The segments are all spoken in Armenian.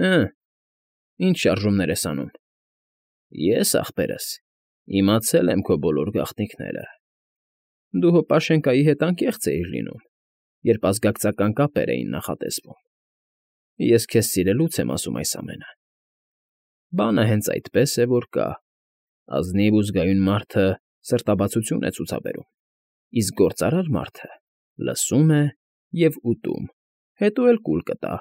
Հը, ինչ շարժումներ ես անում։ Ես, ախպերս, իմացել եմ քո բոլոր գաղտնիքները։ Դու հո Պաշենկայի հետ անկեղծ էիր լինում, երբ ազգակցական կապեր էին նախատեսվում։ Ես քեզ սիրելուց եմ ասում այս ամենը։ Բանը հենց այդպես է, որ կա. ազնիվ ու զգայուն մարդը սրտաբացություն է ցուցաբերում, իսկ գործարար մարդը լսում է և ուտում, հետո էլ կուլ կտա։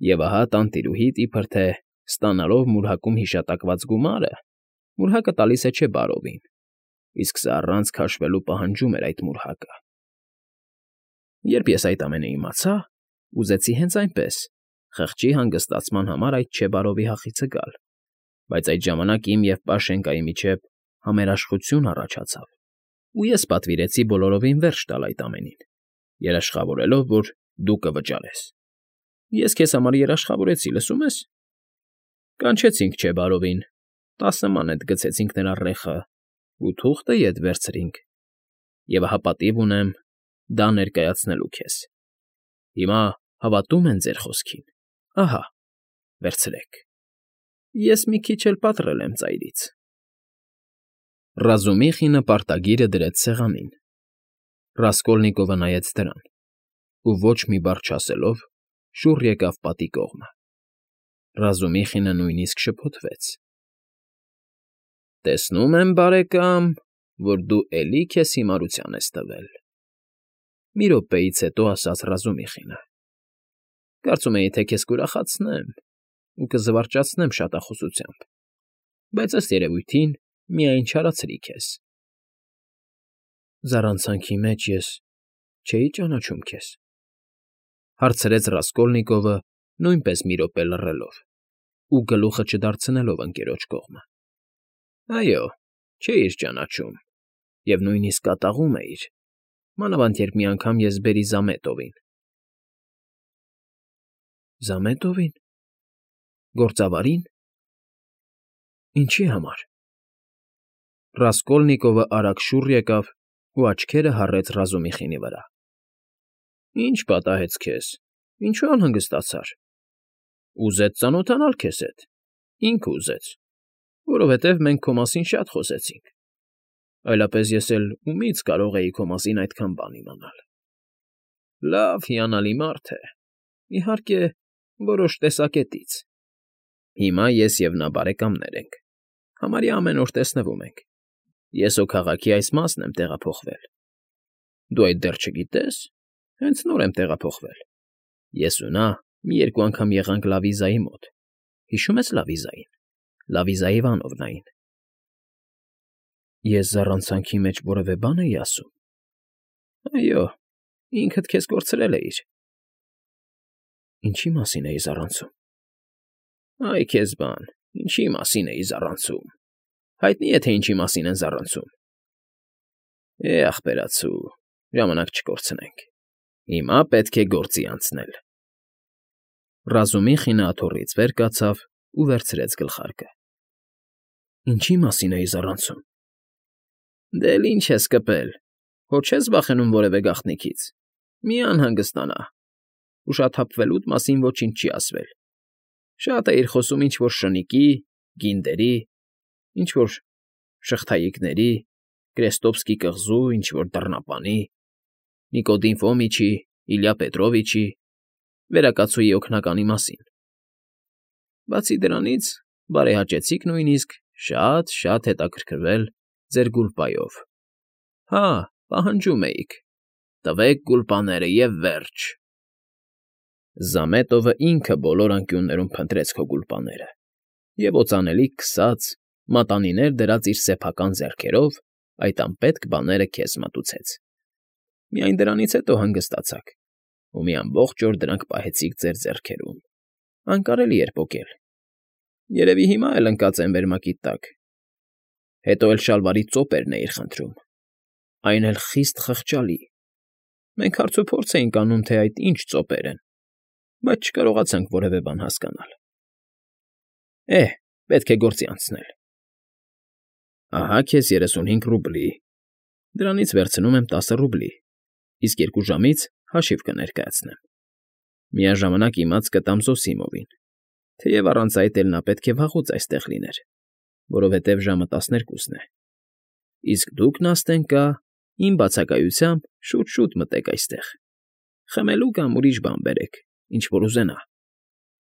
Եվ ահա տանտիրուհիդ, իբր թե ստանալով մուրհակում հիշատակված գումարը, մուրհակը տալիս է չէ բարովին, իսկ սա առանց քաշվելու պահանջում էր այդ մուրհակը։ Երբ ես այդ ամենը իմացա, ուզեցի հենց այնպես, խղճի հանգստացման համար այդ չէ բարովի հախիցը գալ, բայց այդ ժամանակ իմ և Պաշենկայի միջև համերաշխություն առաջացավ, ու ես պատվիրեցի բոլորովին վերջ տալ այդ ամենին, երաշխավորելով, որ դու կվճարես։ Ես քեզ համար երաշխավորեցի, լսում ես։ Կանչեցինք չէ բարովին, 10 մանետ գցեցինք նրա ռեխը ու թուղթը ետ վերցրինք, և ահա պատիվ ունեմ դա ներկայացնելու քեզ։ Հիմա հավատում են ձեր խոսքին, ահա, վերցրեք։ Ես մի քիչ էլ պատռել եմ ծայրից։ Ռազումիխինը պարտագիրը դրեց սեղանին։ Ռասկոլնիկովը նայեց դրան ու ոչ մի բառ չասելով շուռ եկավ պատի կողմը։ Ռազումիխինը նույնիսկ շփոթվեց։ Տեսնում եմ, բարեկամ, որ դու էլի քեզ հիմարության ես տվել, մի րոպեից հետո ասաց Ռազումիխինը։ Կարծում էի, թե քեզ կուրախացնեմ ու կզվարճացնեմ շատախոսությամբ, բայց ըստ երևույթին միայն չարացրի քեզ։ Զառանցանքի մեջ ես չէի ճանաչում քեզ, հարցրեց Ռասկոլնիկովը նույնպես մի րոպե լռելով ու գլուխը չդարձնելով ընկերոջ կողմը։ Այո, չէիր ճանաչում և նույնիսկ կատաղում էիր, մանավանդ երբ մի անգամ ես բերի Զամետովին։ Զամետովին։ Գործավարի՞ն։ Ինչի համար։ Ռասկոլնիկովը արագ շուռ եկավ ու աչքերը հառեց Ռազումիխինի վրա։ Ինչ պատահեց քեզ, ինչու անհանգստացար։ Ուզեց ծանոթանալ քեզ հետ, ինքը ուզեց, որովհետև մենք քո մասին շատ խոսեցինք, այլապես ես էլ ումից կարող էի քո մասին այդքան բան իմանալ։ Լավ, հիանալի մարդ է, իհարկե, որոշ տեսակետից։ Հիմա ես և նա բարեկամներ ենք, համարյա ամեն օր տեսնվում ենք։ Ես հո քաղաքի այս մասն եմ տեղափոխվել։ Դու այդ դեռ չգիտե՞ս, հենց նոր եմ տեղափոխվել։ Ես ու նա մի երկու անգամ եղանք Լավիզայի մոտ, հիշո՞ւմ ես Լավիզային, Լավիզա Իվանովնային։ Ես զառանցանքի մեջ որևէ բան էի ասում։ Այո, ինքդ քեզ կորցրել էիր։ Ինչի մասին էի զառանցում։ Այ քեզ բան, ինչի մասին էի զառանցում։ Հայտնի է, թե ինչի մասին են զառանցում։ Ախպերացու, ժամանակ չկորցնենք։ Հիմա պետք է գործի անցնել։ Ռազումիխինը աթոռից վեր կացավ ու վերցրեց գլխարկը։ Ինչի մասին էի զառանցում։ Դե ինչ ես կպել, հո չես վախենում որևէ գաղտնիքից։ Մի անհանգստանա։ Ուշաթափվելուդ մասին ոչինչ չի ասվել։ Շատ էիր խոսում ինչ֊որ շնիկի, գինդերի, ինչ֊որ շղթայիկների, Կրեստովսկի կղզու, ինչ֊որ դռնապանի, Նիկոդիմ Ֆոմիչի, Իլյա Պետրովիչի, վերակացուի օգնականի մասին։ Բացի դրանից, բարեհաճեցիք նույնիսկ շատ հետաքրքրվել ձեր գուլպայով։ Հա, պահանջում էիք. տվեք գուլպաները և վերջ։ Զամետովը ինքը բոլոր անկյուններում փնտրեց քո գուլպաները և օծանելիք քսած, մատանիներ դրած իր սեփական ձեռքերով այդ անպետք բաները քեզ մատուցեց։ Միայն դրանից հետո հանգստացաք, ու մի ամբողջ օր դրանք պահեցիք ձեր ձեռքերում։ Անկարելի էր պոկել։ Երևի հիմա էլ ընկած են վերմակի տակ։ Հետո էլ շալվարի ծոպերն էիր խնդրում, այն էլ խիստ խղճալի։ Մենք հարցուփորձ էինք անում, թե այդ ինչ ծոպեր են, բայց չկարողացանք որևէ բան հասկանալ։ Պետք է գործի անցնել։ Ահա քեզ 35 ռուբլի, դրանից վերցնում եմ 10 ռուբլի, իսկ 2 ժամից հաշիվ կներկայացնեմ։ Միաժամանակ իմաց կտամ Զոսիմովին, Թեև առանց այդ էլ նա պետք է վաղուց այստեղ լիներ, որովհետև ժամը 12-ն է։ Իսկ դուք, Նաստենկա, իմ բացակայությամբ շուտ֊շուտ մտեք այստեղ, խմելու կամ ուրիշ բան բերեք, ինչ որ ուզենա։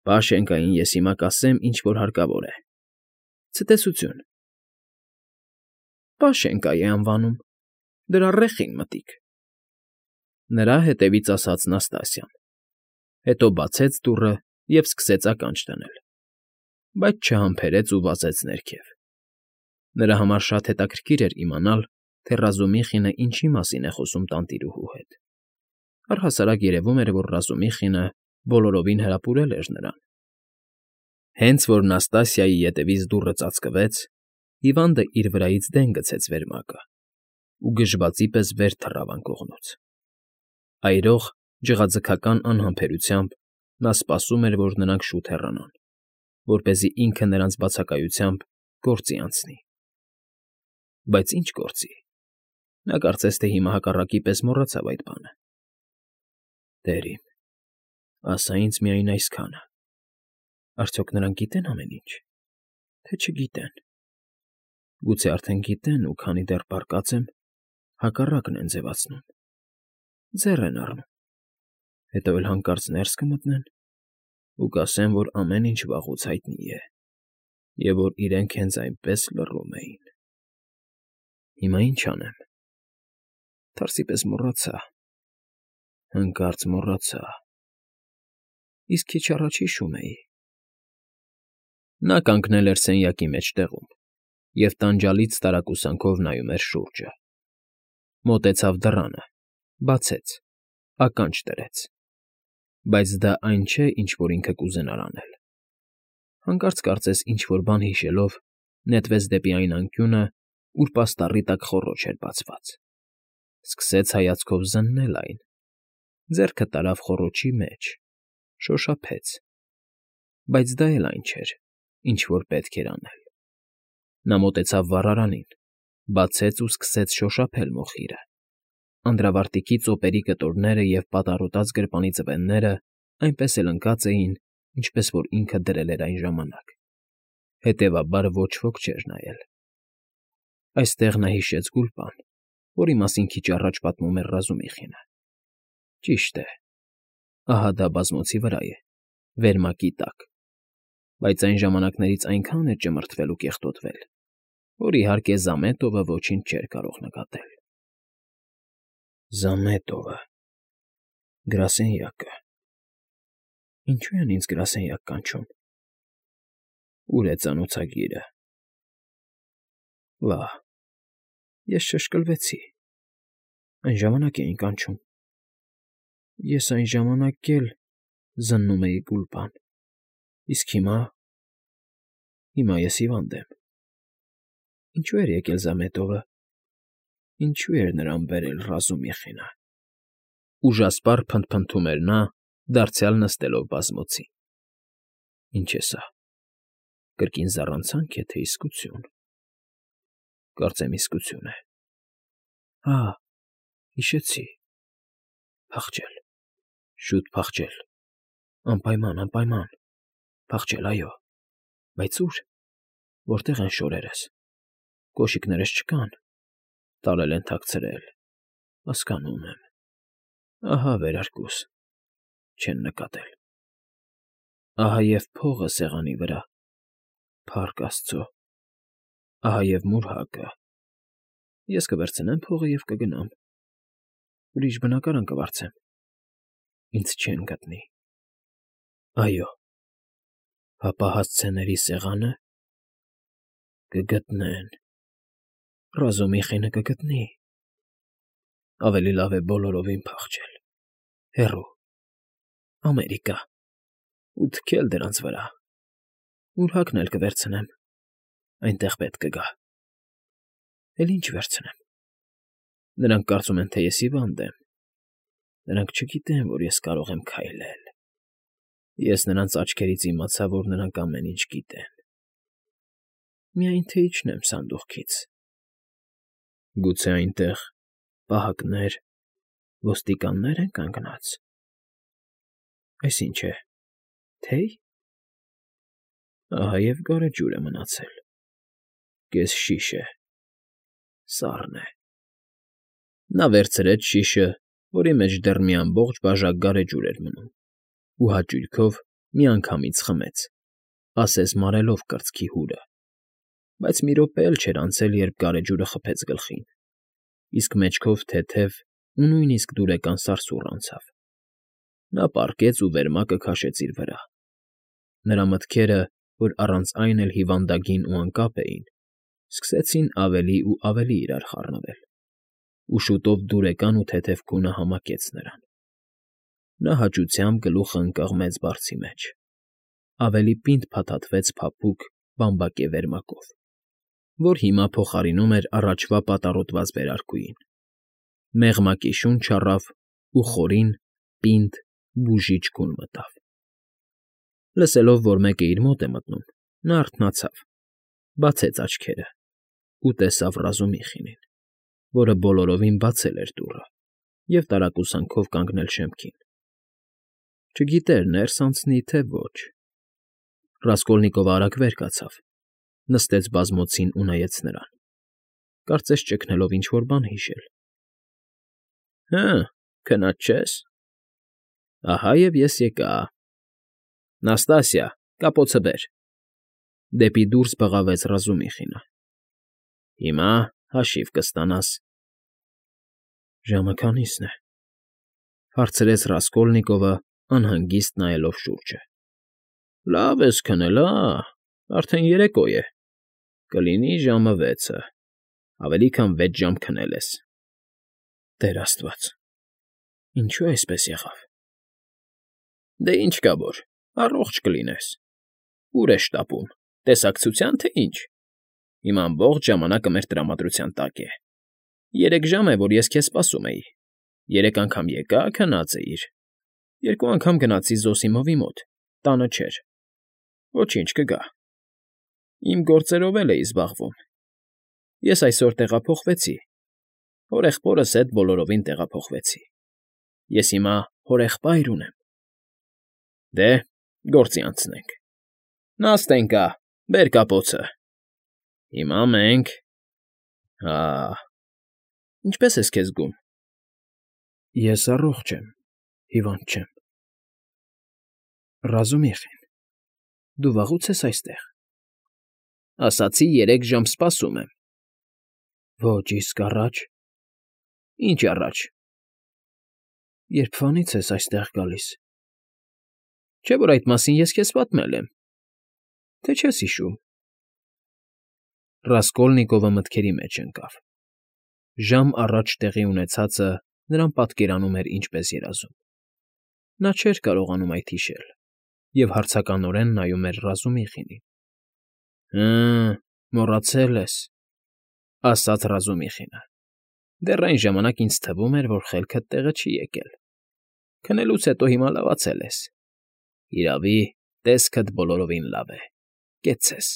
Պաշենկային ես հիմա կասեմ, ինչ որ հարկավոր է։ Ցտեսություն։ Պաշենկա է անվանում, դրա ռեխին մտիկ։ Նրա հետևից ասաց Նաստասիան, հետո բացեց դուռը և սկսեց ականջ դնել, բայց չհամբերեց ու վազեց ներքև։ Նրա համար շատ հետաքրքիր էր իմանալ, թե Ռազումիխինը ինչի մասին է խոսում տանտիրուհու հետ։ Առհասարակ երևում էր, որ Ռազումիխինը բոլորովին հրապուրել էր նրան։ Հենց որ Նաստասիայի ետևից դուռը ծածկվեց, հիվանդը իր վրայից դեն գցեց վերմակը ու գժվածի պես վեր թռավ անկողնուց։ Այրող, ջղաձգական անհամբերությամբ նա սպասում էր, որ նրանք շուտ հեռանան, որպեսզի ինքը նրանց բացակայությամբ գործի անցնի։ Բայց ինչ գործի։ Նա կարծես թե հիմա հակառակի պես մոռացավ այդ բանը։ Տեր իմ, ասա ինձ միայն այսքանը. արդյոք նրանք գիտեն ամեն ինչ, թե չգիտեն։ Գուցե արդեն գիտեն ու քանի դեռ պառկած եմ, հակառակն են ձևացնում, ձեռ են առնում, հետո էլ հանկարծ ներս կմտնեն ու կասեն, որ ամեն ինչ վաղուց հայտնի է և որ իրենք հենց այնպես լռում էին։ Հիմա ինչ անեմ։ Թարսի պես մոռացա, հանկարծ մոռացա։ Իսկ քիչ առաջ հիշում էի։ Նա կանգնել էր սենյակի մեջտեղում և տանջալից տարակուսանքով նայում էր շուրջը։ Մոտեցավ դռանը, բացեց, ականջ դրեց։ Բայց դա այն չէ, ինչ որ ինքը կուզենար անել։ Հանկարծ կարծես ինչ֊որ բան հիշելով, նետվեց դեպի այն անկյունը, ուր պաստառի տակ խոռոչ էր բացված։ Սկսեց հայացքով զննել այն, ձեռքը տարավ խոռոչի մեջ, շոշափեց։ Բայց դա էլ այն չէր, ինչ որ պետք էր անել։ Նա մոտեցավ վառարանին, բացեց ու սկսեց շոշափել մոխիրը։ Անդրավարտիքի ծոպերի կտորները և պատառոտած գրպանի ծվենները այնպես էլ ընկած էին, ինչպես որ ինքը դրել էր այն ժամանակ։ Հետևաբար ոչ ոք չէր նայել։ Այստեղ նա հիշեց Գուլպան, որի մասին քիչ առաջ պատմում էր Ռազումիխինը։ Ճիշտ է, ահա դա բազմոցի վրա է, վերմակի տակ, բայց այն ժամանակներից այնքան էր ճմրթվել ու կեղտոտվել, որ իհարկե Զամետովը ոչինչ չէր կարող նկատել։ Զամետովը… գրասենյակը… Ինչո՞ւ են ինձ գրասենյակ կանչում։ Ո՞ւր է ծանոթագիրը։ Վա՜, ես շշկլվեցի։ Այն ժամանակ էին կանչում։ Ես այն ժամանակ էլ զննում էի Գուլպան, իսկ հիմա ես հիվանդ եմ։ Ինչո՞ւ էր եկել Զամետովը։ Ինչո՞ւ էր նրան բերել Ռազումիխինը։ Ուժասպառ փնթփնթում էր նա, դարձյալ նստելով բազմոցին։ Ինչ է սա, կրկին զառանցանք է, թե իսկություն։ Կարծեմ իսկություն է։ Հա, հիշեցի։ Փախչել, շուտ փախչել, անպայման, անպայման, փախչել, այո, բայց ո՞ւր, որտե՞ղ են շորերս, կոշիկներս չկան, տարել են թաքցրել, հասկանում եմ, ահա վերարկուս, չեն նկատել, ահա և փողը սեղանի վրա, փառք աստծո, ահա և մուրհակը, ես կվերցնեմ փողը և կգնամ, ուրիշ բնակարան կվարձեմ, ինձ չեն գտնի, այո, հապա հասցեների սեղանը… Կգտնեն, Ռազումիխինը կգտնի, ավելի լավ է բոլորովին փախչել, հեռու, Ամերիկա, ու թքել դրանց վրա, մուրհակն էլ կվերցնեմ, այնտեղ պետք կգա։ Էլ ինչ վերցնեմ։ Նրանք կարծում են, թե ես հիվանդ եմ, նրանք չգիտեն, որ ես կարող եմ քայլել։ Ես նրանց աչքերից իմացա, որ նրանք ամեն ինչ գիտեն։ Միայն թե իջնեմ սանդուղքից։ Գուցե այնտեղ պահակներ, ոստիկաննե՞ր են կանգնած։ Այս ինչ է, թեյ։ Ահա և գարեջուր է մնացել։ Կեսշիշ է։ Սառն է։ Նա վերցրեց շիշը, որի մեջ դեռ մի ամբողջ բաժակ գարեջուր էր մնում, ու հաճույքով միանգամից խմեց, ասես մարելով կրծքի հուրը, բայց մի րոպե էլ չէր անցել, երբ գարեջուրը խփեց գլխին, իսկ մեջքով թեթև ու նույնիսկ դուրեկան սարսուռ անցավ։ Նա պառկեց ու վերմակը քաշեց իր վրա։ Նրա մտքերը, որ առանց այն էլ հիվանդագին ու անկապ էին, սկսեցին ավելի ու ավելի իրար խառնվել, ու շուտով դուրեկան ու թեթև քունը համակեց նրան։ Նա հաճությամբ գլուխը ընկավ մեծ բարձի մեջ, ավելի պինդ փաթաթվեց փափուկ բամբակե վերմակով, որ հիմա փոխարինում էր առաջվա պատառոտված վերարկուին, մեղմակի շունչ առավ ու խորին, պինդ, բուժիչ քուն մտավ։ Լսելով, որ մեկը իր մոտ է մտնում, նա արթնացավ, բացեց աչքերը ու տեսավ Ռազումիխինին, որը բոլորովին բացել էր դուռը և տարակուսանքով կանգնել շեմքին։ Չգիտեր ներս անցնի, թե ոչ։ Ռասկոլնիկովը արագ վեր կացավ, նստեց բազմոցին ու նայեց նրան, կարծես ճգնելով ինչ֊որ բան հիշել։ Հը, քնած չե՞ս։ Ահա և ես եկա։ Նաստասիա, կապոցը բեր։ Դեպի դուրս բղավեց Ռազումիխինը։ Հիմա հաշիվ կստանաս։ Ժամը քանի՞սն է,֊ հարցրեց Ռասկոլնիկովը, անհանգիստ նայելով շուրջը։ Լավ ես քնել, արդեն երեկո է, կլինի ժամը 6-ը, ավելի քան 6 ժամ քնել ես։ Տեր աստված, ինչո՞ւ այսպես եղավ։ Դե ինչ կա որ, առողջ կլինես։ Ուր է շտապում, տեսակցության, թե ինչ։ Հիմա ամբողջ ժամանակը մեր տրամադրության տակ է։ 3 ժամ է, որ ես քեզ սպասում էի։ 3 անգամ եկա, քնած էիր։ 2 անգամ գնացի Զոսիմովի մոտ, տանը չէր։ Ոչինչ, կգա։ Իմ գործերով էլ էի զբաղվում։ Ես այսօր տեղափոխվեցի։ Հորեղբորս հետ բոլորովին տեղափոխվեցի։ Ես հիմա հորեղբայր ունեմ։ Դե, գործի անցնենք։ Նաստենկա, բեր կապոցը։ Հիմա մենք… Հա… Ինչպե՞ս ես քեզ զգում։ Ես առողջ եմ, հիվանդ չեմ։ Ռազումիխին, դու վաղուց ես այստեղ։ Ասացի 3 ժամ սպասում եմ։ Ոչ, իսկ առաջ… Ինչ առաջ։ Երբվանից ես այստեղ գալիս։ Չէ՞ որ այդ մասին ես քեզ պատմել եմ, թե չես հիշում։ Ռասկոլնիկովը մտքերի մեջ ընկավ։ Ժամ առաջ տեղի ունեցածը նրան պատկերանում էր ինչպես երազում։ Նա չէր կարողանում այդ հիշել և հարցականորեն նայում էր Ռազումիխինին։ Հը, մոռացել ես,֊ ասաց Ռազումիխինը։ Դեռ այն ժամանակ ինձ թվում էր, որ խելքդ տեղը չի եկել։ Քնելուց հետո հիմա լավացել ես։ Իրավի, տեսքդ բոլորովին լավ է, կեցցես։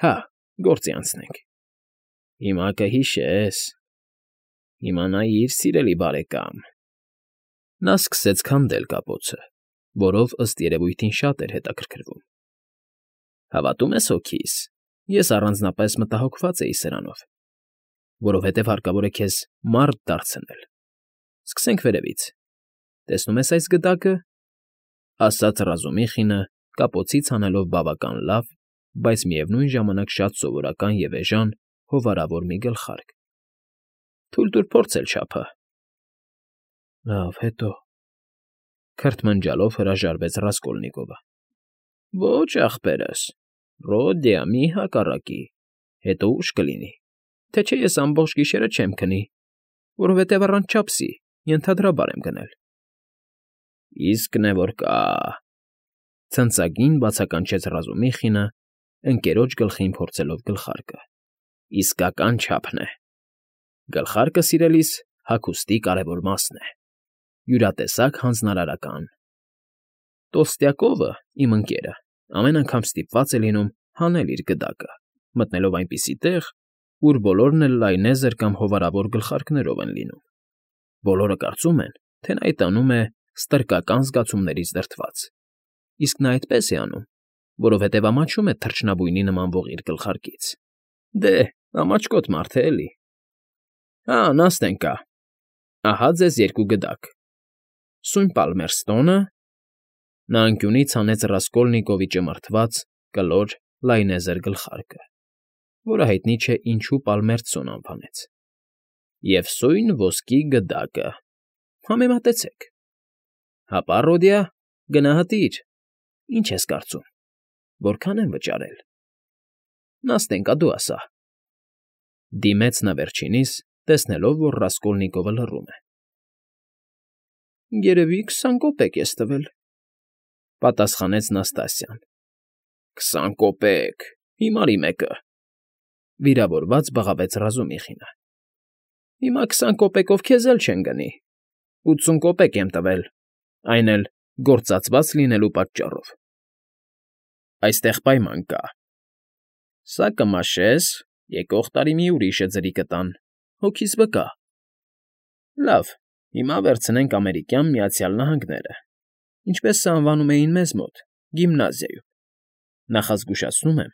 Հա, գործի անցնենք։ Հիմա կհիշես։ Հիմա նայիր, սիրելի բարեկամ։ Նա սկսեց քանդել կապոցը, որով, ըստ երևույթին, շատ էր հետաքրքրվում։ Հավատում ես հոգիս, ես առանձնապես մտահոգված էի սրանով, որովհետև հարկավոր է քեզ մարդ դարձնել։ Սկսենք վերևից։ Տեսնում ես այս գդակը,֊ ասաց Ռազումիխինը, կապոցից հանելով բավական լավ, բայց միևնույն ժամանակ շատ սովորական և էժան հովարավոր մի գլխարկ։ Թույլ տուր փորձել չափը։ Լավ, հետո,֊ քրթմնջալով հրաժարվեց Ռասկոլնիկովը։ Ոչ, ախպերս, Ռոդիա, մի հակառակի, հետո ուշ կլինի, թե չէ ես ամբողջ գիշերը չեմ քնի, որովհետև առանց չափսի ենթադրաբար եմ գնել։ Իսկն է, որ կա,֊ ցնծագին բացականչեց Ռազումիխինը, ընկերոջ գլխին փորձելով գլխարկը։ Իսկական չափն է։ Գլխարկը, սիրելիս, հագուստի կարևոր մասն է։ Յուրատեսակ հանձնարարական։ Տոլստյակովը, իմ ընկերը, ամեն անգամ ստիպված է լինում հանել իր գդակը, մտնելով այնպիսի տեղ, ուր բոլորն էլ լայնեզր կամ հովարավոր գլխարկներով են լինում։ Բոլորը կարծում են, թե նա այդ անում է ստրկական զգացումներից դրդված, իսկ նա այդպես է անում, որովհետև ամաչում է թռչնաբույնի նմանվող իր գլխարկից։ Դե, ամաչկոտ մարդ է էլի։ Հա, նստեն կա։ Ահա ձեզ 2 գդակ։ Սույն Պալմերստոնը… Նա անկյունից հանեց Ռասկոլնիկովի ճմրթված, կլոր, լայնեզր գլխարկը, որը հայտնի չէ ինչու Պալմերտսոն անվանեց։ Եվ սույն ոսկի գդակը… Համեմատեցեք։ Հապա, Ռոդիա, գնահատիր, ինչ ես կարծում, որքան եմ վճարել։ Նստենք, դու ասա։ Դիմեց նա վերջինիս, տեսնելով, որ Ռասկոլնիկովը լռում է։ Երևի 20 կոպեկ ես տվել, պատասխանեց Նաստասիան։ 20 կոպեկ, հիմարի մեկը, վիրավորված բղավեց Ռազումիխինը։ Հիմա 20 կոպեկով քեզ էլ չեն գնի, 80 կոպեկ եմ տվել, այն էլ գործածված լինելու պատճառով։ Այստեղ պայման կա. սա կմաշես, եկող տարի մի ուրիշը ձրի կտան, հոգիս վկա։ Լավ, հիմա վերցնենք Ամերիկյան Միացյալ Նահանգները, ինչպես սա անվանում էին մեզ մոտ, գիմնազիայում։ Նախազգուշացնում եմ,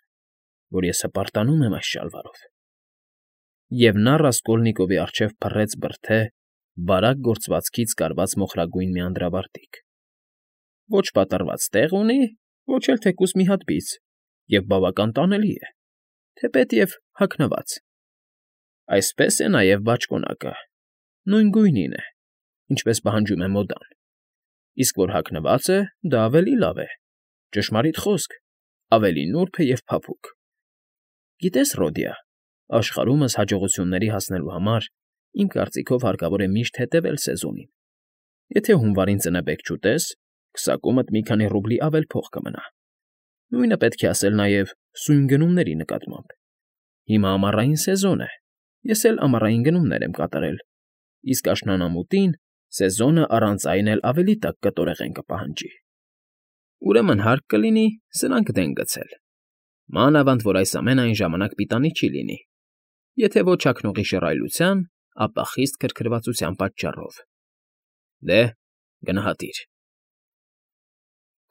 որ ես հպարտանում եմ այս շալվարով։ Եվ նա Ռասկոլնիկովի առջև փռեց բրդե, բարակ գործվածքից կարված մոխրագույն մի անդրավարտիք։ Ոչ պատռված տեղ ունի, ոչ էլ թեկուս մի հատ բիծ, և բավական տանելի է, թեպետ և հագնված։ Այսպես է նաև բաճկոնակը, նույն գույնին է, ինչպես պահանջում է մոդան, իսկ որ հագնված է, դա ավելի լավ է, ճշմարիտ խոսք, ավելի նուրբ է և փափուկ։ Գիտես, Ռոդիա, աշխարհումս հաջողությունների հասնելու համար, իմ կարծիքով հարկավոր է միշտ հետևել սեզոնին։ Եթե հունվարին ծնեբեք չուտես, քսակումդ մի քանի ռուբլի ավել փող կմնա։ Նույնը պետք է ասել նաև սույն գնումների նկատմամբ։ Հիմա ամառային սեզոն է, ես էլ ամառային գնումներ եմ կատարել, իսկ աշնանամուտին սեզոնը առանց այն էլ ավելի տաք կտորեղեն կպահանջի։ Ուրեմն հարկ կլինի սրանք դեն գցել։ Մանավանդ որ այս ամենը այն ժամանակ պիտանի չի լինի, եթե ոչ հագնողի շռայլության, ապա խիստ քրքրվածության պատճառով։ Դե, գնահատիր։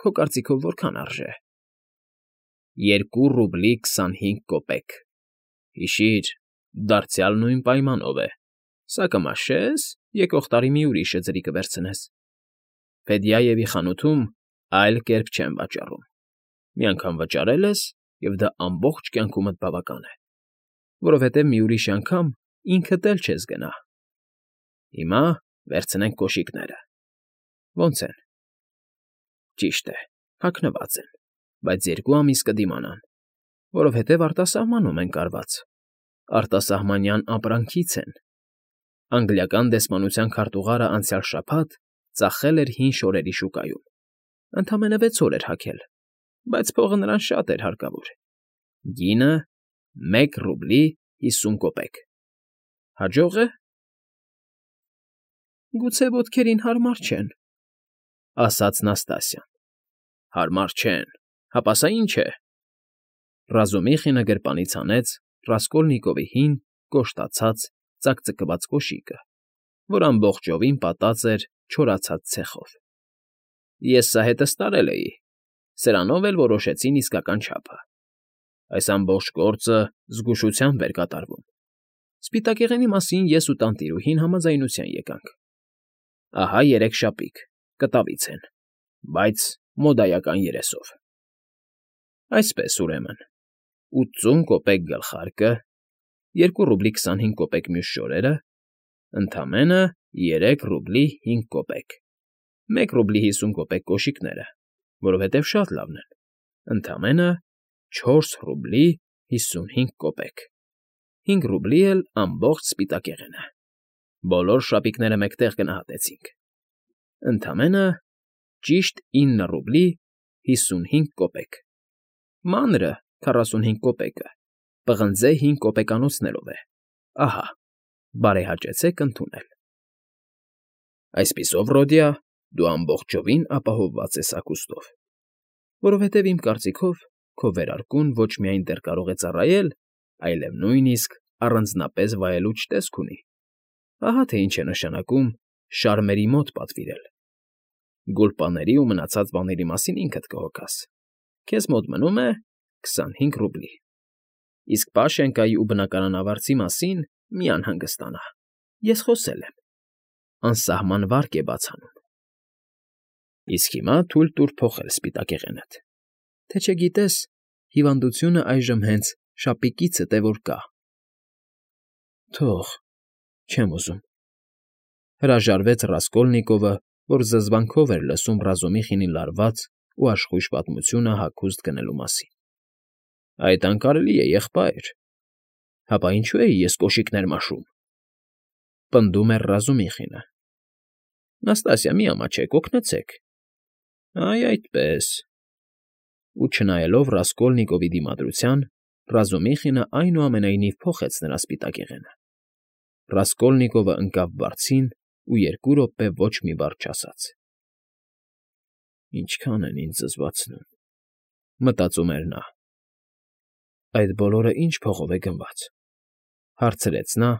Քո կարծիքով որքան արժե։ 2 ռուբլի 25 կոպեկ։ Հիշիր, դարձյալ նույն պայմանով է։ Սա կմաշես, եկող տարի մի ուրիշը ձրի կվերցնես։ Ֆեդյաևի խանութում այլ կերպ չեն վաճառում։ Մի անգամ վճարել ես, և դա ամբողջ կյանքումդ բավական է, որովհետև մի ուրիշ անգամ ինքդ էլ չես գնա։ Հիմա վերցնենք կոշիկները։ Ոնց են։ Ճիշտ է, հագնված են, բայց 2 ամիս կդիմանան, որովհետև արտասահմանում են կարված, արտասահմանյան ապրանքից են։ Անգլիական դեսպանության քարտուղարը անցյալ շաբաթ ծախել էր հին շորերի շուկայում, ընդամենը 6 օր էր հագել, բայց փողը նրան շատ էր հարկավոր։ Գինը 1 ռուբլի 50 կոպեկ։ Հաջող է։ Գուցե ոտքերին հարմար չեն, ասաց Նաստասիան։ Հարմար չեն, հապա սա ինչ է։ Ռազումիխինը գրպանից հանեց Ռասկոլնիկովի հին, կոշտացած, ծակծկված կոշիկը, որ ամբողջովին պատած էր չորացած ցեխով։ Ես սա հետս տարել էի, սրանով էլ որոշեցին իսկական չափը։ Այս ամբողջ գործը զգուշությամբ էր կատարվում։ Սպիտակեղենի մասին ես ու տանտիրուհին համաձայնության եկանք։ Ահա 3 շապիկ, կտավից են, բայց մոդայական երեսով։ Այսպես, ուրեմն, 80 կոպեկ գլխարկը, 2 ռուբլի 25 կոպեկ մյուս շորերը, ընդամենը 3 ռուբլի 5 կոպեկ, 1 ռուբլի 50 կոպեկ կոշիկները, որովհետև շատ լավն են, ընդամենը 4 ռուբլի 55 կոպեկ, 5 ռուբլի էլ ամբողջ սպիտակեղենը։ Բոլոր շապիկները մեկտեղ գնահատեցինք։ Ընդամենը ճիշտ 9 ռուբլի 55 կոպեկ։ Մանրը 45 կոպեկը, պղնձե 5 կոպեկանոցներով է։ Ահա, բարեհաճեցեք ընդունել։ Այսպիսով, Ռոդիա, դու ամբողջովին ապահովված ես հագուստով, որովհետև իմ կարծիքով քո վերարկուն ոչ միայն դեռ կարող է ծառայել, այլև նույնիսկ առանձնապես վայելուչ տեսք ունի։ Ահա թե ինչ է նշանակում շարմերի մոտ պատվիրել։ Գուլպաների ու մնացած բաների մասին ինքդ կհոգաս։ Քեզ մոտ մնում է 25 ռուբլի։ Իսկ Պաշենկայի ու բնակարանավարձի մասին մի անհանգստանա։ Ես խոսել եմ։ Անսահման վարկ է բաց անում։ Իսկ հիմա թույլ տուր փոխել սպիտակեղենդ, թե չգիտես, հիվանդությունը այժմ հենց շապիկիցդ է որ կա։ Թող, չեմ ուզում, հրաժարվեց Ռասկոլնիկովը, որ զզվանքով էր լսում Ռազումիխինի լարված ու աշխույժ պատմությունը հագուստ գնելու մասին։ Այդ անկարելի է, եղբայր։ Հապա ինչու էի ես կոշիկներ մաշում։ Պնդում էր Ռազումիխինը։ Նաստասիա, մի ամաչեք, օգնեցեք։ Այ այդպես։ Ու չնայելով Ռասկոլնիկովի դիմադրության, Ռազումիխինը այնուամենայնիվ փոխեց նրա սպիտակեղենը։ Ռասկոլնիկովը ընկավ բարձին ու 2 րոպե ոչ մի բառ չասաց։ Ինչքան են ինձ զզվացնում, մտածում էր նա։ Այդ բոլորը ինչ փողով է գնված, հարցրեց նա,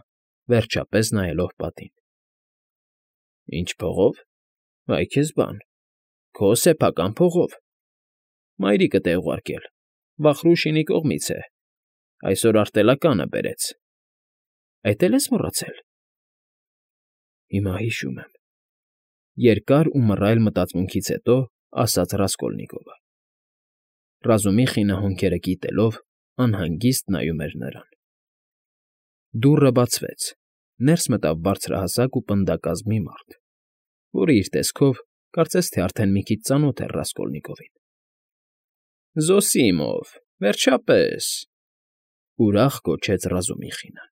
վերջապես նայելով պատին։ Ինչ փողով։ Այ քեզ բան, քո սեփական փողով։ Մայրիկդ է ուղարկել, Վախրուշինի կողմից է, այսօր արտելականը բերեց։ Այդ էլ ես մոռացել։ Հիմա հիշում եմ։ Երկար ու մռայլ մտածմունքից հետո ասաց Ռասկոլնիկովը։ Ռազումիխինը հոնքերը կիտելով անհանգիստ նայում էր նրան։ Դուռը բացվեց, ներս մտավ բարձրահասակ ու պնդակազմ մի մարդ, որը իր տեսքով կարծես թե արդեն մի քիչ ծանոթ էր Ռասկոլնիկովին։ Զոսիմով, վերջապես, ուրախ գոչեց Ռազումիխինը։